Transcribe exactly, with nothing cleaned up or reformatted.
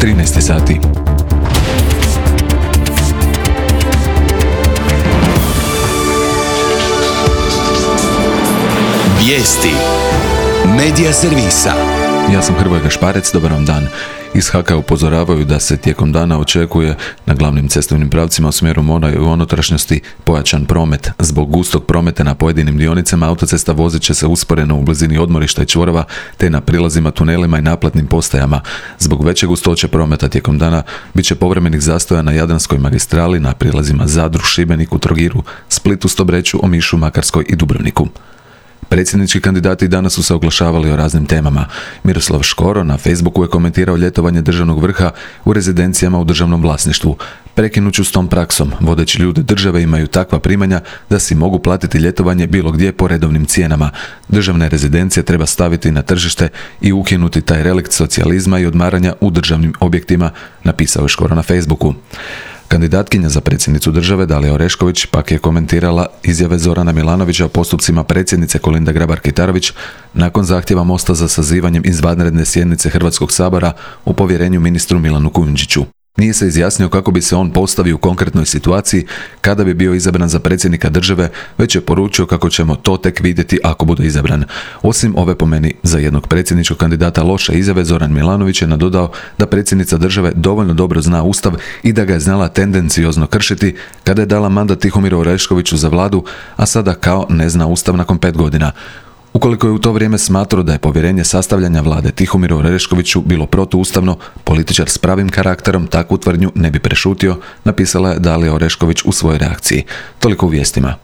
trinaest sati. Vijesti Medija servisa. Ja sam Hrvoje Gašparec, dobar vam dan. Iz H A K-a upozoravaju da se tijekom dana očekuje na glavnim cestovnim pravcima u smjeru mora i u unutrašnjosti pojačan promet. Zbog gustog prometa na pojedinim dionicama autocesta vozit će se usporeno u blizini odmorišta i čvorova te na prilazima, tunelima i naplatnim postajama. Zbog veće gustoće prometa tijekom dana bit će povremenih zastoja na Jadranskoj magistrali, na prilazima Zadru, Šibeniku, Trogiru, Splitu, Stobreću, Omišu, Makarskoj i Dubrovniku. Predsjednički kandidati danas su se oglašavali o raznim temama. Miroslav Škoro na Facebooku je komentirao ljetovanje državnog vrha u rezidencijama u državnom vlasništvu. Prekinuću s tom praksom, vodeći ljude države imaju takva primanja da si mogu platiti ljetovanje bilo gdje po redovnim cijenama. Državne rezidencije treba staviti na tržište i ukinuti taj relikt socijalizma i odmaranja u državnim objektima, napisao je Škoro na Facebooku. Kandidatkinja za predsjednicu države Dalija Orešković pak je komentirala izjave Zorana Milanovića o postupcima predsjednice Kolinde Grabar-Kitarović nakon zahtjeva Mosta za sazivanjem izvanredne sjednice Hrvatskog sabora u povjerenju ministru Milanu Kujundžiću. Nije se izjasnio kako bi se on postavio u konkretnoj situaciji kada bi bio izabran za predsjednika države, već je poručio kako ćemo to tek vidjeti ako bude izabran. Osim ove po meni za jednog predsjedničkog kandidata loše izjave, Zoran Milanović je nadodao da predsjednica države dovoljno dobro zna Ustav i da ga je znala tendenciozno kršiti kada je dala mandat Tihomiru Oreškoviću za vladu, a sada kao ne zna Ustav nakon pet godina. Ukoliko je u to vrijeme smatrao da je povjerenje sastavljanja vlade Tihomiru Oreškoviću bilo protuustavno, političar s pravim karakterom takvu tvrdnju ne bi prešutio, napisala je Dalija Orešković u svojoj reakciji. Toliko u vijestima.